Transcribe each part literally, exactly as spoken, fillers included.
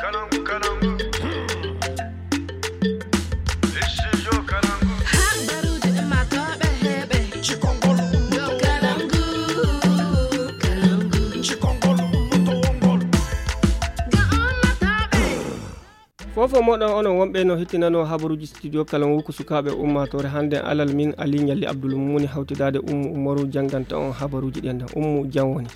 Fofo moɗon onon wonɓe no hettinano habaruji studio kalangu ko sukaɓe ummatore hande alal min ali ñalli abdul mumuni hawtidade ummu umaru janganta on habaruji ɗen ummu jam woni.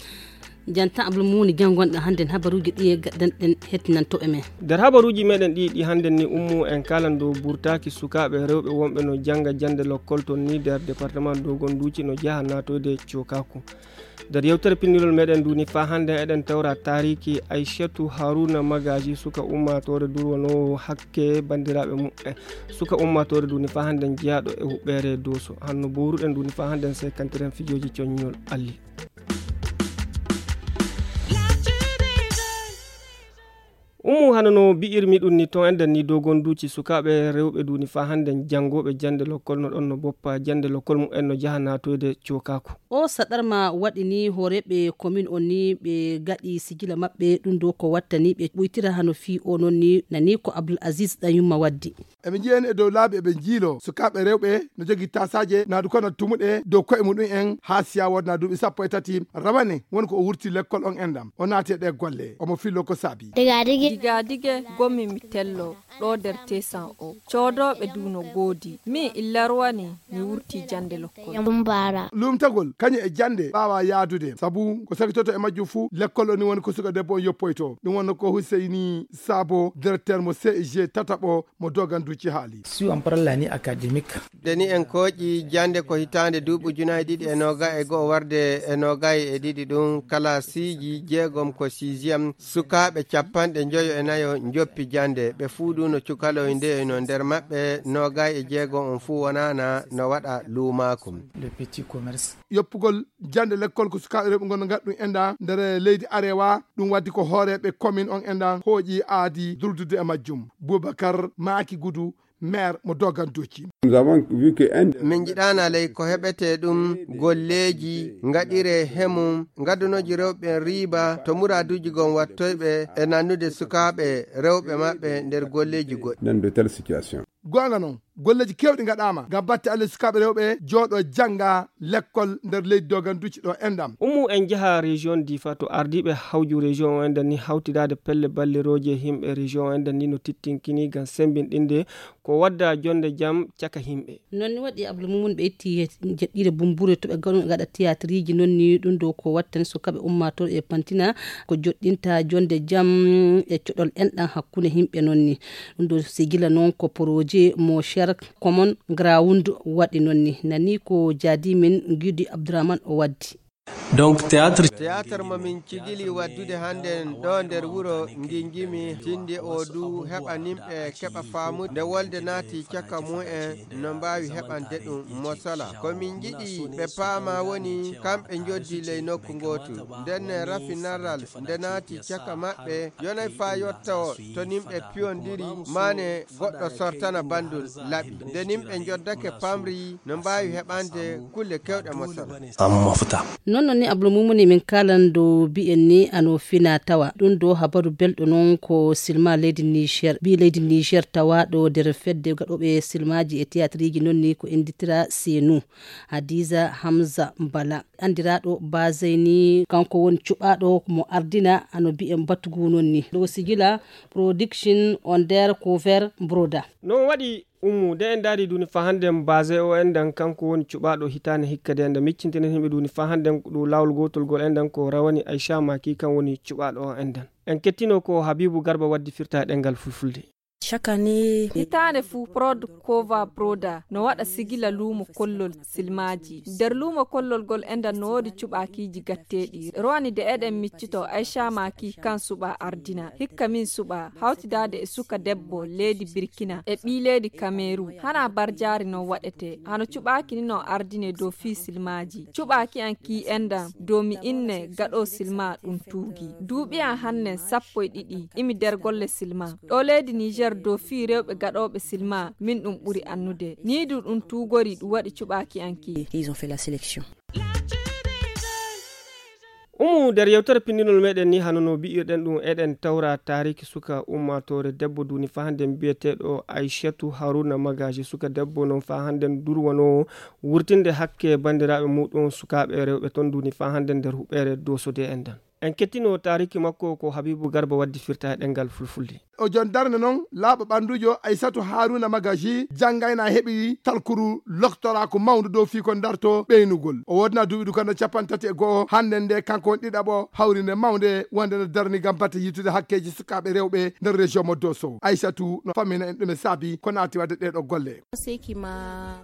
Janta abdul mumuni jam gonɗo hande habaruji ɗi e gaɗɗan ɗen hettinantoɓe men. Nder habaruji meɗen ɗi ɗi hande ni ummu en kalan dow burtaki sukaɓe rewɓe wonɓe no janga jande lokkol ton ni nder département dogon duci no jaha natoyde cokaku. Nder yewtere pinnirol meɗen nduni fa hande eɗen tawra tariki aishatu haruna magaji suka ummatore durwanowo hakke bandiraɓe muɓɓen. Suka ummatore nduni fa hande jeyaɗo e huɓɓere doso hanno boruɗen nduni fa hande sekantiren fijoji coññol alli. Ummu hano no bi'irmi ɗum ni ton enden ni dogonduuci sukaaɓe rewɓe duuni faa hannden janngoɓe jannde lokkol no ɗon no boppa jannde lokkol mumen no jaha naatoyde cookaku. O saɗarma waɗi ni hooreeɓe komin on ni ɓe gaɗi sigila maɓɓe ɗum ɗo ko wattani ɓe ɓuytira hano fii o non ni nani ko abdul asis ɗanyumma waddi. Eɓe njiyani e dow laabi eɓe njiilo sukaaɓe rewɓe no jogii taasaaje naadu kono tumuɗe dow koye muɗum en haa siya wodna duuɓi sappo e tati rawane woni ko o wurti lekkol on endam o naati e ɗe golle omo fillo ko saabi. Digadige. Digadige. Gommi mi tello ɗo nder tesan o coodooɓe du no goodi min illarwani mi wurti jannde lokkol. Lumtagol kañum e jannde ɓaawa yaadude sabu ko sakitoto e majjum fuu lekkol o ni woni ko suka debbo on yoppoyto ɗum wonno ko huseyni saabo directeur mo ceg tataɓo mo doganduji haali. Si on parla ni académique. Nde ni en kooƴi jannde ko hitaande duuɓi ujunaaji ɗiɗi e noogayi e go'o warde e noogayi e ɗiɗi ɗum kalaasiiji jeegom ko sixième sukaaɓe capanɗe njoyo e nayo njoppi jannde ɓe fuu ɗum no cukaloy ndeyoyno nder maɓɓe noogayi e jeegom on fuu wonaana no waɗa luumaaku. Le petit commerce. Yoppugol jannde lekkol ko sukaaɓe rewɓe ngonno ngaɗa ɗum enda nder leydi arewa ɗum waddi ko hooreeɓe commune on enda hooƴi aadi durdude e majjum. Boubacar maaki gudu maire mo doganduji. Min njiɗaana ley ko heɓete ɗum golleeji ngaɗire hemum ngaddunoji rewɓe riiba to muraduji gon wattoyɓe e nannude sukaaɓe rewɓe maɓɓe nder golleeji goɗɗi. Goonga non golleeji keewɗi ngaɗaama ngam batte allah sukaaɓe rewɓe jooɗo jannga lekkol nder leydi doganduji ɗo endam. Ummu en njaha région difa to ardiiɓe hawju région o enden ni hawtidaade pelle ballirooje yimɓe région o enden ni no tittinkini ngam semmbinɗinde ko wadda jonnde jam caka yimɓe. Non ni waɗi abdul mumuni ɓe itti jeɗɗiire bumbure to ɓe gaɗa tiyatiriji non ni ɗum ɗo ko wattani sukaaɓe ummatooɓe e pantina ko joɗɗinta jonnde jam e coɗol enɗam hakkunde yimɓe non ni. Ɗum ɗo sigila noon ko projet mo cher common ground waɗi noon ni nani ko jaadi men gidi abdourahmane o waddi. Donc théâtre. Théâtre mo min cigili waddude hannden ɗo nder wuro nginjimi tindi o du heɓa nimɓe keɓa faamude nde wolde naati caka mumen no mbaawi heɓande ɗum mosala ko min njiɗi ɓe paama woni kamɓe njoddi ley nokku ngootu ndenne rafinaral nde naati caka maɓɓe yonay faa yotta o to nimɓe piyondiri maane goɗɗo sortana banndum laɓi nde nimɓe njoddake pamri no mbaawi heɓande kulle kewɗe mosala. Noon noon ni abdul mumuni min kaalan dow mbiyen ni ano fina tawa ɗum ɗo habaru belɗo noon ko silma leydi niger mbi leydi niger tawaaɗo nder fedde gaɗooɓe silmaaji e tiyaatriiji noon ni ko innditira senu hadiza hamza mbala anndiraaɗo baseyni kanko woni cuɓaaɗo mo ardina ano mbiyen batugu noon ni ɗo sigila production on nder couvert broda. Noon waɗi ummu nde en ndaari duuni faa hannden base o enɗan kanko woni cuɓaaɗo hitaande hikka de enɗan miccintinen yimɓe duuni faa hannden ɗo laawol gootol gol enɗan ko rawani aycha maki kan woni cuɓaaɗo o enɗan. En kettino ko habibu garba waddi firta e ɗenngal fulfulde. Chaque année. Hitaande fuu prod kova broda no waɗa sigila luumo kollol silmaaji nder luumo kollol gol enɗan no woodi cuɓaakiiji gatteeɗi rowani de eɗen miccito aycha maki kan suɓa ardina hikka min suɓa hawtidaade e suka debbo leydi birkina e ɓii leydi kameru hana barjaari no waɗete hano cuɓaaki ni no ardine dow fii silmaaji cuɓaaki an kii enɗan dow mi inne gaɗo silma ɗum tuugi duuɓi an hannen sappo e ɗiɗi imi nder golle silma ɗo leydi niger dow fii rewɓe gaɗooɓe silma min ɗum ɓuri annude nii du ɗum tuugori ɗum waɗi cuɓaaki an kii. Ils ont fait la sélection. Umu nder yewtere pinndinol meɗen ni, hano no mbi'irɗen ɗum, eɗen tawra taariki suka ummaatoore debbo duuni faa hannden bi'eteeɗo Aysatu Haruna Magaji. Suka debbo noon faa hannden durwanoowo wurtinde hakke banndiraaɓe muuɗum sukaaɓe rewɓe toon duuni faa hannden nder huɓeere Dooso de enɗan. En kettino taariki makko ko Habibu Garba waddi firta e ɗemngal fulfulde. O jon darnde noon laaɓa ɓanndujo Aysatu Haruna Magaji janngayna heɓi talkuru loktoraaku mawndu dow fii ko darto ɓeynugol. O woodna duuɓi dukanno capanɗe tati e go'o hannden nde kanko woni ɗiɗaɓo hawrinde mawnde wonde no darni ngam batte yittude hakkeeji sukaaɓe rewɓe nder région mo Dooso. Aysatu no famina en ɗume saabi ko naati waɗde ɗee ɗoo golle.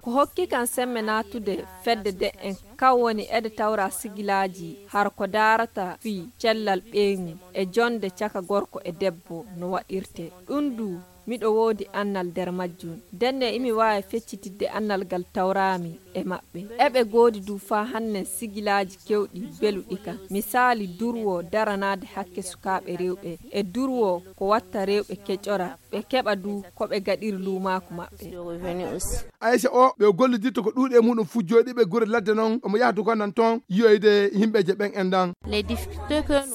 Ko hokki kam semme naatude fedde de en, kan woni ede tawra sigilaaji har ko daarata fii cellal ɓeyngu e jonde caka gorko e debbo no waɗirte. Ɗum du, miɗo woodi annal nder majjum. Ndenne imi waawi feccitidde annal ngal tawraami e maɓɓe. Eɓe goodi du faa hannden sigilaaji kewɗi beluɗi kam. Misaali, durwo daranaade hakke sukaaɓe rewɓe e durwo ko watta rewɓe keƴora, ɓe keɓa du ko ɓe gaɗiri luumaaku maɓɓe. Aysa o, ɓe gollidirta ko ɗuuɗi e muɗum fuu jooɗiiɓe gure ladde noon, omo yaha du ko nan toon yiyoyde yimɓeeje ɓen enɗan.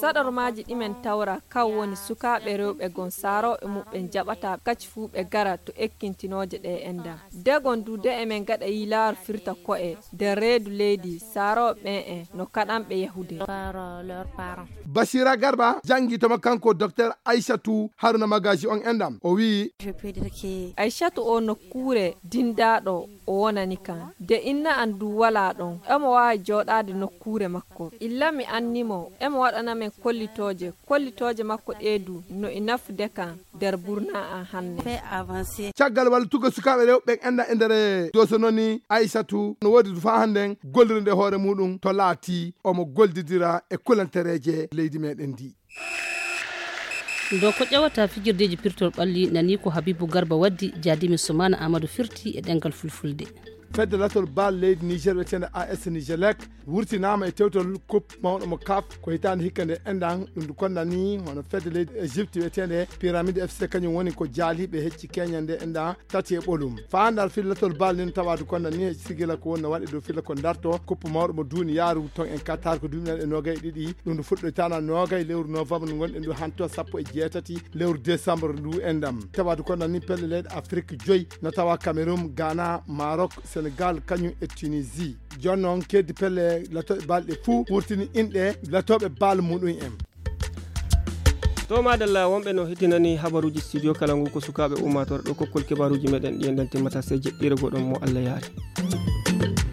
Saɗormaaji ɗi men tawra, kan woni sukaaɓe rewɓe gon saarooɓe muɓɓen jaɓata kaci fuu ɓe gara to ekkintinooje ɗe enɗan. Degon du de emen gaɗa yilaaru firta ko'e nder reedu leydi, saarooɓe ɓen en no kaɗanɓe yahude. Basira Garba janngi toma kanko Docteur Aysatu Haruna Magaji on enɗan. O wi'i, Aysatu o nokkuure dindaaɗo o wonani kan. De inna an du walaa ɗon. Emo waawi jooɗaade nokkuure makko. Illa mi anni mo, emo waɗana men kollitooje. Kollitooje makko ɗee du no e nafude kan nder burnaa an hanne. Caggal wallitugol sukaaɓe rewɓe ɓen enɗan e nder Dooso noon ni, Aysatu no woodi du faa hannden gollirde hoore muɗum to laatii omo gollidira e kulantereeje leydi meɗen ndi. Ndo ko ƴewata fijirdeeji pirtol ɓalli nani ko Habibu Garba waddi, jaadimi Sumana Amadou firti e ɗemngal fulfulde. Fedde latol bal leydi Niger wiyeteende A S Nigelec wurtinaama e tewtol coupe mawɗo mo CAF ko hitaande hikka nde enɗan. Ɗum du konnani hono fedde leydi Egypte wiyeteende Pyramide F C, kañum woni ko jaaliiɓe hecci keñande enɗan tati e ɓolum. Faa handal filla tol bal nin tawa du konnani hecci sigila ko woni no waɗi dow filla ko darto coupe mawɗo mo duuniyaaru ton en Qatar ko duuɓi nayi e noogay e ɗiɗi. Ɗum du fuɗɗoytaana noogay lewru novembre ndu ngonɗen du hanto sappo e jeetati lewru décembre ndu enɗan. Tawa du konnani pelle leyɗe Afrique joyi no tawa Cameroun, Ghana, Maroc, Sénégal, kañum e Tunisie. Jooni noon keddi pelle latooɓe bal ɗe fuu wurtini inɗe latooɓe bal muɗum en. To madalla wonɓe no heddinani habaruuji studio kala ngu ko sukaaɓe ummaatoore ɗo kokkol kibaaruuji meɗen ɗi enɗan timmata sey jeɗɗiire goɗon mo Allah yaari.